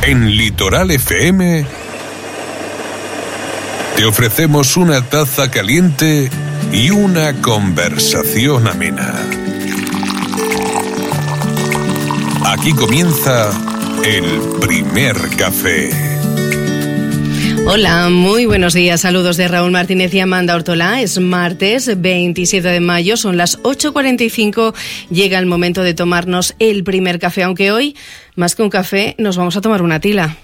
En Litoral FM te ofrecemos una taza caliente y una conversación amena. Aquí comienza el primer café. Hola, muy buenos días. Saludos de Raúl Martínez y Amanda Ortolá. Es martes 27 de mayo, son las 8:45. Llega el momento de tomarnos el primer café, aunque hoy, más que un café, nos vamos a tomar una tila.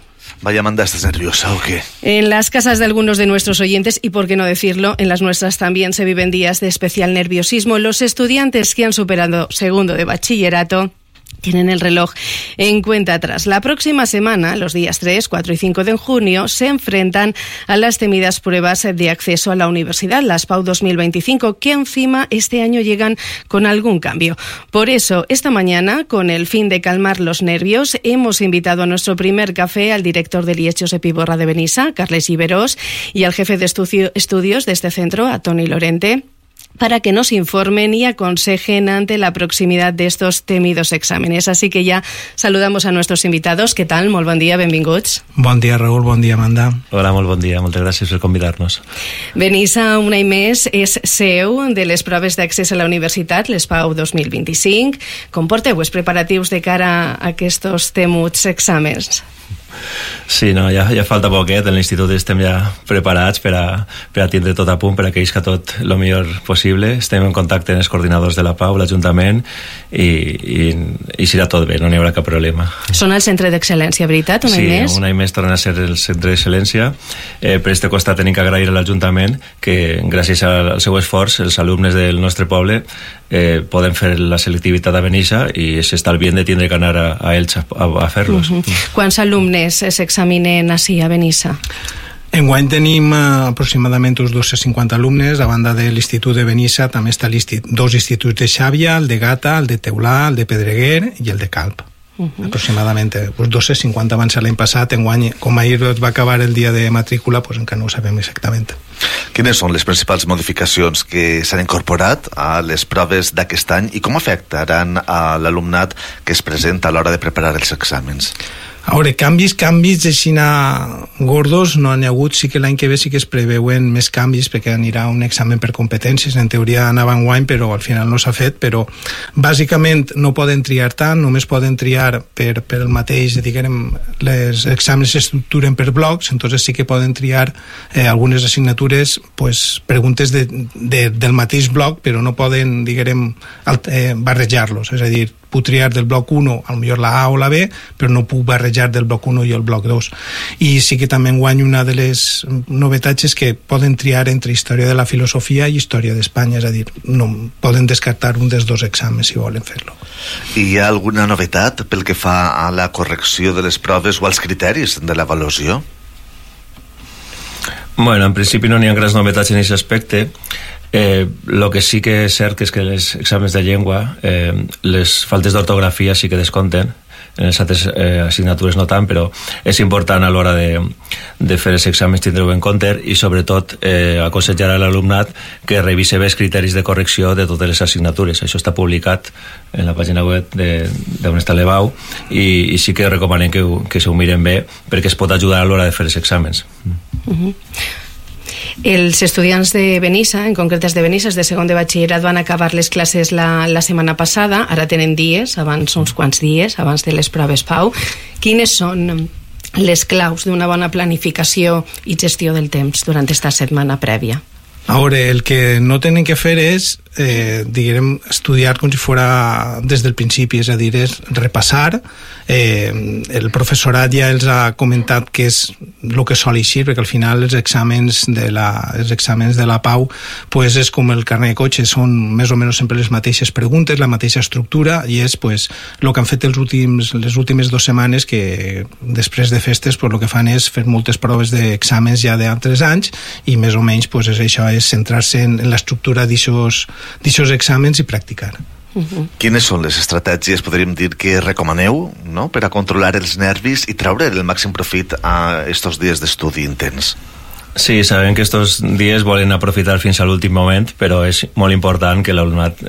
Vaya, Amanda, ¿estás nerviosa o qué? En las casas de algunos de nuestros oyentes, y por qué no decirlo, en las nuestras también se viven días de especial nerviosismo. Los estudiantes que han superado segundo de bachillerato tienen el reloj en cuenta atrás. La próxima semana, los días 3, 4 y 5 de junio, se enfrentan a las temidas pruebas de acceso a la universidad, las PAU 2025, que encima este año llegan con algún cambio. Por eso, esta mañana, con el fin de calmar los nervios, hemos invitado a nuestro primer café al director del IES Josep Iborra de Benissa, Carles Iberós, y al jefe de estudios de este centro, a Toni Lorente, para que nos informen y aconsejen ante la proximidad de estos temidos exámenes. Así que ya saludamos a nuestros invitados. ¿Qué tal? Molt bon dia, benvinguts. Bon dia, Raúl, bon dia, Amanda. Hola, molt bon dia, moltes gràcies per convidar-nos. Benissa, un any més, és seu de les proves d'accés a la universitat, les PAU 2025. Com porteu els preparatius de cara a aquests temuts exàmens? Sí, no, ja falta poquet. En l'institut estem ja preparats per a tindre tot a punt, per a que isca tot el millor possible. Estem en contacte amb els coordinadors de la PAU, l'Ajuntament, i serà tot bé, no n'hi haurà cap problema. Són el centre d'excel·lència, veritat, un any més? Sí, un any més tornen a ser el centre d'excel·lència. Per aquest costat tenim que agrair a l'Ajuntament que, gràcies al seu esforç, els alumnes del nostre poble poden fer la selectivitat a Benissa i s'estalvien de tindre que anar a Elx a fer-los. Quants alumnes s'examinen ací a Benissa? Enguany tenim aproximadament uns 250 alumnes. A banda de l'Institut de Benissa també està dos instituts de Xàbia, el de Gata, el de Teulà, el de Pedreguer i el de Calp. Aproximadament uns 250 van ser l'any passat. Enguany, com ahir va acabar el dia de matrícula, pues encara no ho sabem exactament. Quines són les principals modificacions que s'han incorporat a les proves d'aquest any i com afectaran a l'alumnat que es presenta a l'hora de preparar els exàmens? A veure, canvis així gordos no n'hi ha hagut. Sí que l'any que ve sí que es preveuen més canvis perquè anirà un examen per competències. En teoria anava enguany, però al final no s'ha fet. Però bàsicament no poden triar tant, només poden triar per el mateix, diguem, les exàmens s'estructuren per blocs, entonces sí que poden triar algunes assignatures, pues, preguntes del mateix bloc, però no poden, diguem, barrejar-los. És a dir, puc triar del bloc 1 a lo millor la A o la B, però no puc barrejar del bloc 1 i el bloc 2. I sí que també enguany una de les novetats és que poden triar entre història de la filosofia i història d'Espanya, és a dir, no poden descartar un dels dos exàmens si volen fer-lo. I hi ha alguna novetat pel que fa a la correcció de les proves o als criteris de l'avaluació? Bueno, en principi no n'hi ha grans novetats en aquest aspecte. Lo que sí que és cert que és que els exàmens de llengua, les faltes d'ortografia sí que descompten, en les altres assignatures no tant, però és important a l'hora de fer els exàmens tindre-ho en compte i sobretot aconsellar a l'alumnat que revise bé els criteris de correcció de totes les assignatures. Això està publicat en la pàgina web d'on està l'EBAU i sí que recomanem que s'ho miren bé perquè es pot ajudar a l'hora de fer els exàmens. Els estudiants de Benissa, en concret els de Benissa, els de segon de batxillerat, van acabar les classes la setmana passada, ara tenen dies, abans uns quants dies, abans de les proves PAU. Quines són les claus d'una bona planificació i gestió del temps durant aquesta setmana prèvia? A veure, el que no tenen que fer és estudiar com si fora des del principi, és a dir, és repassar. El professorat ja els ha comentat que és el que sol eixir, perquè al final els exàmens de la PAU pues és com el carnet de cotxe, són més o menys sempre les mateixes preguntes, la mateixa estructura, i és pues el que han fet les últimes 2 setmanes, que després de festes pues el que fan és fer moltes proves d'exàmens ja d'altres anys, i més o menys pues és això, és centrar-se en l'estructura d'aixòs exàmens i practicar. Quines són les estratègies, podríem dir, que recomaneu, no?, per a controlar els nervis i treure el màxim profit a estos dies d'estudi intens? Sí, sabem que estos dies volen aprofitar fins a l'últim moment, però és molt important que l'alumnat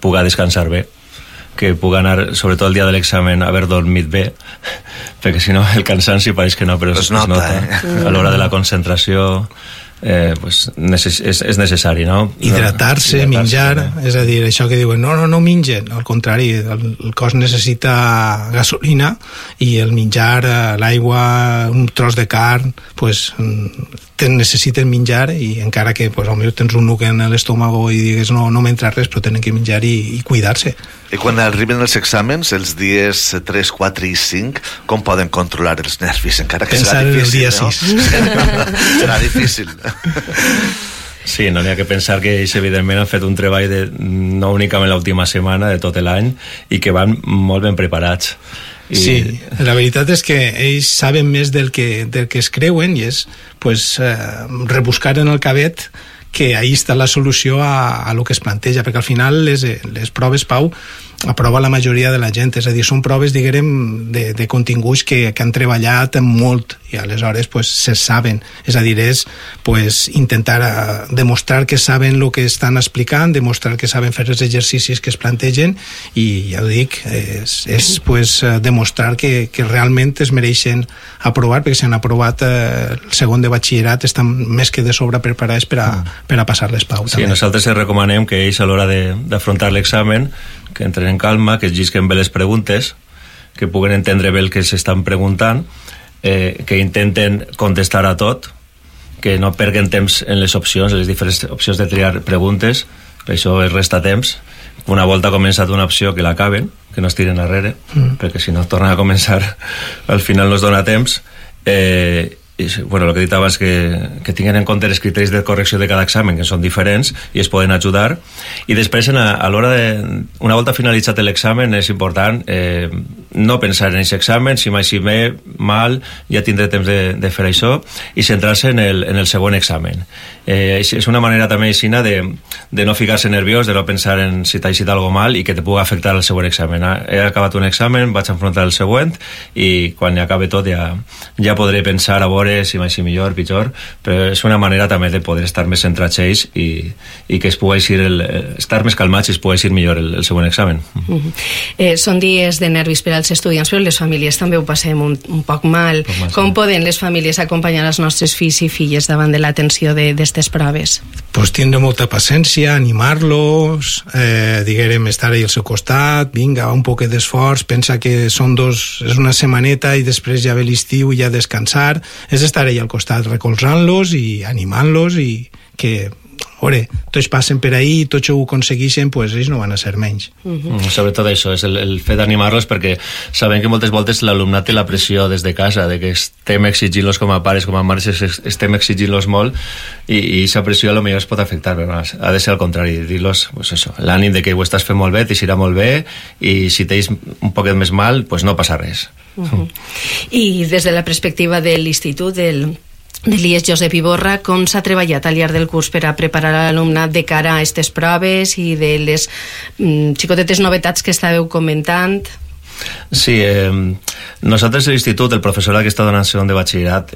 pugui descansar bé. que puc anar, sobretot el dia de l'examen, haver dormit bé, perquè si no el cansanci pareix que no, però es nota. A l'hora de la concentració pues és necessari, no? Hidratar-se, menjar, és a dir, això que diuen, no mengen, al contrari, el cos necessita gasolina i el menjar, l'aigua, un tros de carn, pues necessiten menjar, i encara que pues, potser tens un nuc en l'estómago i digues no m'entra res, però tenen que menjar i cuidar-se. I quan arriben els exàmens, els dies 3, 4 i 5, com poden controlar els nervis? Encara que pensar serà difícil, en el dia 6. Serà difícil. Sí, no n'hi ha que pensar que ells evidentment han fet un treball no únicament l'última setmana, de tot l'any, i que van molt ben preparats. Sí, la veritat és que ells saben més del que es creuen, i és pues, rebuscar en el cabet que ahí està la solució a lo que es planteja, perquè al final les proves, Pau, aprova la majoria de la gent, és a dir, són proves, diguem, de continguts que han treballat molt, i aleshores pues, se saben, és a dir, és pues, intentar demostrar que saben el que estan explicant, demostrar que saben fer els exercicis que es plantegen, i ja ho dic, és pues, demostrar que realment es mereixen aprovar, perquè si han aprovat el segon de batxillerat estan més que de sobre preparats per a passar-les, Pau. Sí, nosaltres recomanem que ells a l'hora d'afrontar l'examen que entren en calma, que es llisquen bé les preguntes, que puguen entendre bé el que s'estan preguntant, que intenten contestar a tot, que no perden temps en les opcions, en les diferents opcions de triar preguntes, per això es resta temps. Una volta ha començat una opció, que l'acaben, que no es tiren darrere, perquè si no tornen a començar al final no es dona temps. Bueno, el que he dit abans, que tinguin en compte els criteris de correcció de cada examen, que són diferents i es poden ajudar, i després a l'hora una volta finalitzat l'examen és important no pensar en aquest examen, si mai si ve mal ja tindré temps de fer això, i centrar-se en el següent examen. És una manera també aixina de no ficar-se nerviós, de no pensar en si t'ha eixit algo mal i que te pugui afectar el següent examen. He acabat un examen, vaig a enfrontar el següent, i quan acabe tot ja podré pensar a veure si mai si millor, pitjor, però és una manera també de poder estar més centrats ells i que es pugui estar més calmats i es pugui eixir millor el següent examen. Són dies de nervis per als estudiants, però les famílies també ho passem un poc mal. Com poden les famílies acompanyar els nostres fills i filles davant de l'atenció d'aquestes proves? Pues tindre molta paciència, animar-los, diguem, estar ahí al seu costat, vinga, un poc d'esforç, pensa que és una setmaneta i després ja ve l'estiu i ja descansar, és estar ahí al costat recolzant-los i animant-los, i que tots passen per ahí i tots ho aconsegueixen, pues ells no van a ser menys. Sobretot això, és el fet d'animar-los, perquè sabem que moltes voltes l'alumnat té la pressió des de casa, de que estem exigint-los com a pares, com a mares, estem exigint-los molt, i aquesta pressió potser es pot afectar, però ha de ser al contrari, dir-los pues això, l'ànim de que ho estàs fent molt bé, t'eixirà molt bé, i si tens un poquet més mal, pues no passa res. I des de la perspectiva de l'institut, de l'IES Josep Iborra, com s'ha treballat al llarg del curs per a preparar l'alumnat de cara a aquestes proves i de les xicotetes novetats que estàveu comentant? Sí, nosaltres a l'institut, el professorat que està donant segon de batxillerat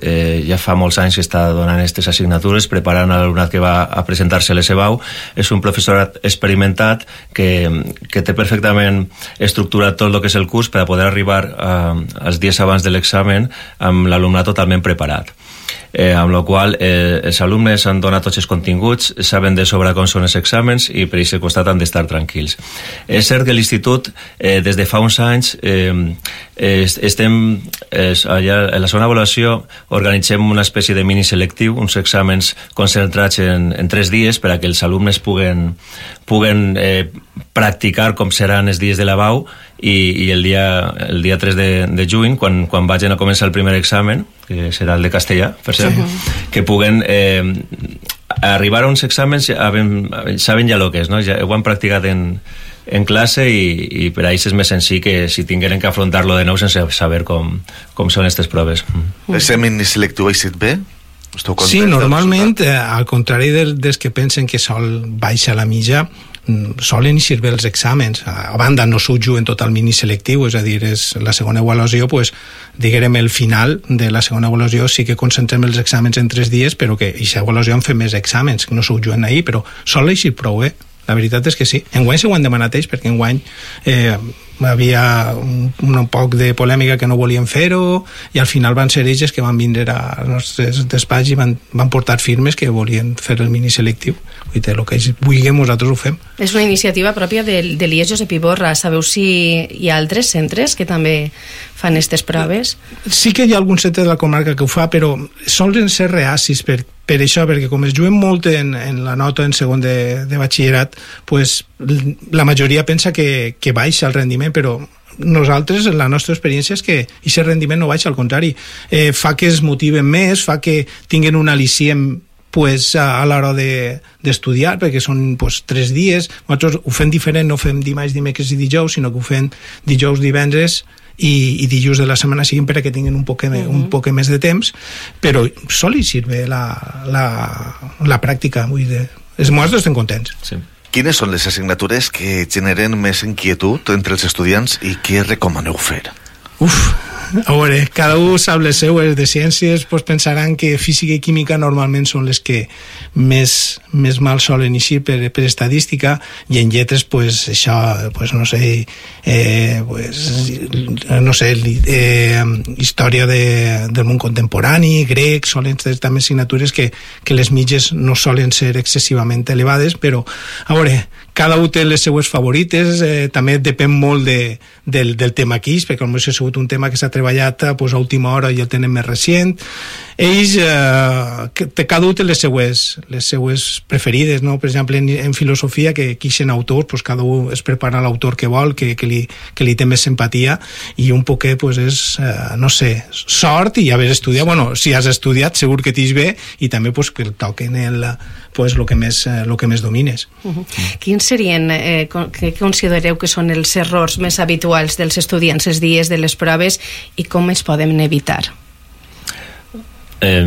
ja fa molts anys que està donant aquestes assignatures, preparant l'alumnat que va a presentar-se a l'ESEBAU. És un professorat experimentat que té perfectament estructurat tot el que és el curs per a poder arribar als dies abans de l'examen amb l'alumnat totalment preparat. Amb la qual els alumnes han donat tots els continguts, saben de sobre com són els exàmens i per aquest costat han d'estar tranquils. És cert que l'Institut des de fa uns anys estem allà, a la segona avaluació organitzem una espècie de mini selectiu, uns exàmens concentrats en 3 dies per a que els alumnes puguen practicar com seran els dies de la BAU, i el dia 3 de juny, quan vagin a començar el primer examen, que serà el de castellà, per cert, que puguen arribar a uns exàmens saben ja el que és, no? Ja ho han practicat en classe, i per a ells és més senzill que si tingueren que afrontar-lo de nou sense saber com són aquestes proves. Aquest mini selectiu ha estat bé? Sí, normalment, al contrari dels que pensen que sol baixa la mitja, solen eixir bé els exàmens. A banda, no s'ho juguen tot el mini selectiu, és a dir, és la segona avaluació, pues, diguem, el final de la segona avaluació sí que concentrem els exàmens en 3 dies, però que aquesta avaluació en fem més exàmens, que no s'ho juguen ahir, però sol eixir prou bé. La veritat és que sí. Enguany s'ho han demanat ells, perquè enguany havia un poc de polèmica que no volien fer-ho, i al final van ser ells que van vindre als nostres despatx i van portar firmes que volien fer el mini selectiu. Vull dir, el que ells vulguem, nosaltres ho fem. És una iniciativa pròpia de l'IES Josep Iborra. Sabeu si hi ha altres centres que també fan aquestes proves? Sí que hi ha algun centre de la comarca que ho fa, però solen ser reacis per això, perquè com es juguen molt en la nota en segon de batxillerat, pues, la majoria pensa que baixa el rendiment, però nosaltres, la nostra experiència és que aquest rendiment no baixa, al contrari, fa que es motiven més, fa que tinguin un al·licient pues, a l'hora d'estudiar, perquè són pues, 3 dies. Nosaltres ho fem diferent, no fem dimarts, dimecres i dijous, sinó que ho fem dijous, divendres i dilluns de la setmana siguin perquè tinguin un poc més de temps, però sol hi sirve la pràctica. Vull dir, els nostres estem contents. Sí. Quines són les assignatures que generen més inquietud entre els estudiants i què recomaneu fer? A veure, cada un sap les seues. De ciències pues, pensaran que física i química normalment són les que més mal solen eixir per estadística, i en lletres pues, això, pues, no sé, història del món contemporani, grec, solen ser també assignatures que les mitges no solen ser excessivament elevades, però a veure, cada un té les seues favorites, també depèn molt del tema que és, perquè potser ha sigut un tema que s'ha treballat pues, a última hora i el tenen més recient. Ells, cada un té les seues preferides, no? Per exemple, en filosofia, que quixen autors, pues, cada un es prepara l'autor que vol, que li té més simpatia, i un poquet pues, és, no sé, sort i haver estudiat. Bueno, si has estudiat, segur que t'hi bé, i també pues, que el toquen pues, lo que més domines. Quins serien, què considereu que són els errors més habituals dels estudiants els dies de les proves i com es poden evitar?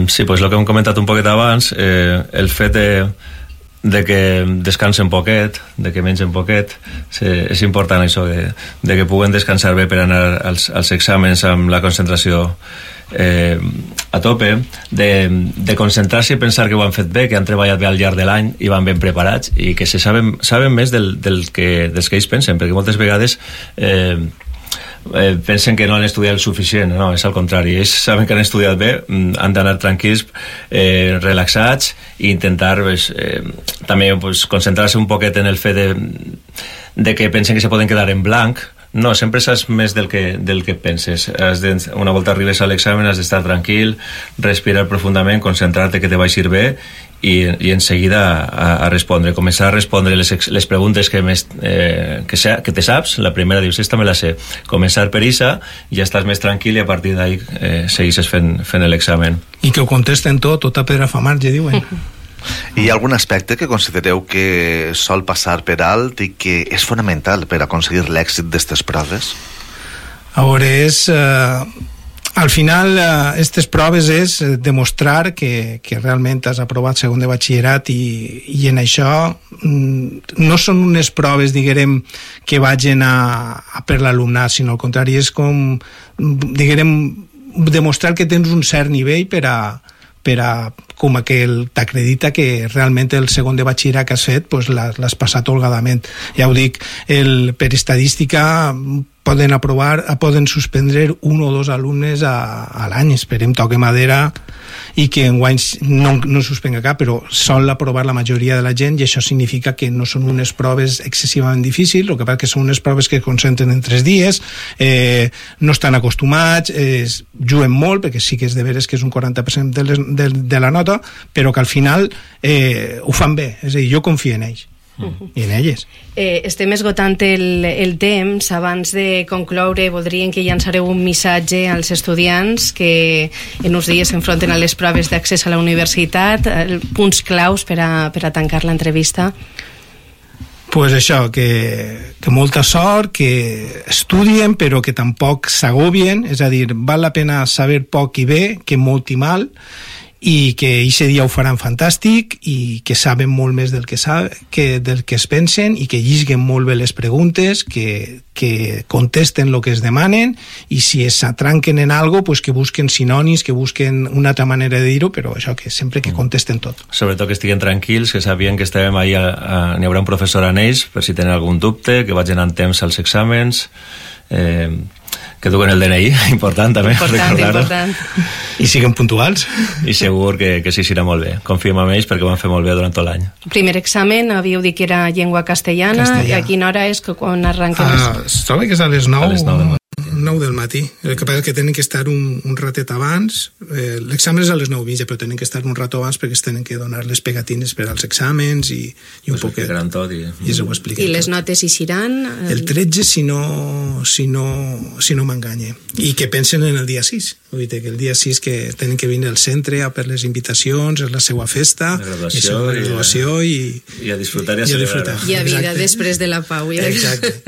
Sí, pues el que hem comentat un poquet abans, el fet de que descansen poquet, de que mengen poquet, és important això, de que puguen descansar bé per anar als exàmens amb la concentració a tope, de concentrar-se i pensar que ho han fet bé, que han treballat bé al llarg de l'any i van ben preparats, i que saben més dels que ells pensen, perquè moltes vegades pensen que no han estudiat el suficient. No, és al contrari, ells saben que han estudiat bé, han d'anar tranquils, relaxats, i intentar també concentrar-se un poquet en el fet de que pensen que se poden quedar en blanc. No, sempre saps més del que penses. Una volta arribes a l'examen has d'estar tranquil, respirar profundament, concentrar-te que te vagi bé i en seguida a respondre, començar a respondre les preguntes que te saps. La primera dius, esta me la sé, començar per issa, ja estàs més tranquil i a partir d'ahí segueixes fent l'examen. I que ho contesten tota pedra fa marge, diuen. Hi ha algun aspecte que considereu que sol passar per alt i que és fonamental per aconseguir l'èxit d'aquestes proves? A veure, al final aquestes proves és demostrar que realment has aprovat segon de batxillerat, i en això no són unes proves, diguem, que vagin a per l'alumnat, sinó al contrari, és com, diguem, demostrar que tens un cert nivell per a com que t'acredita que realment el segon de batxillerat que has fet pues, l'has passat holgadament. Ja ho dic, per estadística poden suspendre 1 o 2 alumnes a l'any. Esperem, toque madera, i que enguany no suspenga cap, però sol aprovar la majoria de la gent, i això significa que no són unes proves excessivament difícils. El que passa que són unes proves que es concentren en 3 dies, no estan acostumats, juguen molt, perquè sí que és de veres que és un 40% de la nota, però que al final ho fan bé. És a dir, jo confio en ells i en elles. Estem esgotant el temps. Abans de concloure, voldríem que llançareu un missatge als estudiants que en uns dies s'enfronten a les proves d'accés a la universitat, punts claus per a tancar l'entrevista. Pues això, que molta sort, que estudien però que tampoc s'agobien, és a dir, val la pena saber poc i bé que molt i mal, i que eixe dia ho faran fantàstic i que saben molt més del que es pensen i que llisguen molt bé les preguntes, que contesten el que es demanen i si es atranquen en algo pues que busquen sinònims, que busquen una altra manera de dir-ho, però això, que sempre que contesten tot. Sobretot que estiguen tranquils, que sabien que estàvem ahí, n'hi haurà un professor en ells per si tenen algun dubte, que vagin en temps als exàmens, que duguen el DNI, important també important. I siguen puntuals i segur que sí, serà molt bé, confiem en ells perquè ho van fer molt bé durant tot l'any. Primer examen, havíeu dit que era llengua castellana. I a quina hora és que quan arrenquen? Es troba que és a les 9 del matí. El que passa és que tenen que estar un ratet abans. L'examen és a les 9:30, però tenen que estar un rato abans perquè es tenen que donar les pegatines per als exàmens i un poquet. Tot i ho expliquen. I les notes hi seran? El 13, si no m'enganye. I que pensen en el dia 6. Vull dir que el dia 6 que tenen que venir al centre a per les invitacions, és la seva festa, la graduació i a disfrutar i a celebrar. I a vida després de la pau. Exacte.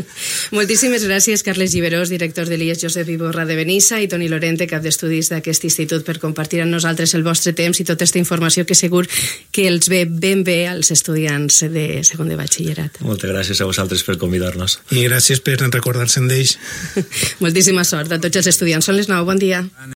Moltíssimes gràcies, Carles Giberós, director de l'IES Josep Iborra de Benissa, i Toni Lorente, cap d'estudis d'aquest institut, per compartir amb nosaltres el vostre temps i tota aquesta informació que segur que els ve ben bé als estudiants de segon de batxillerat. Moltes gràcies a vosaltres per convidar-nos. I gràcies per recordar-se'n d'ells. Moltíssima sort a tots els estudiants. Són les 9, bon dia.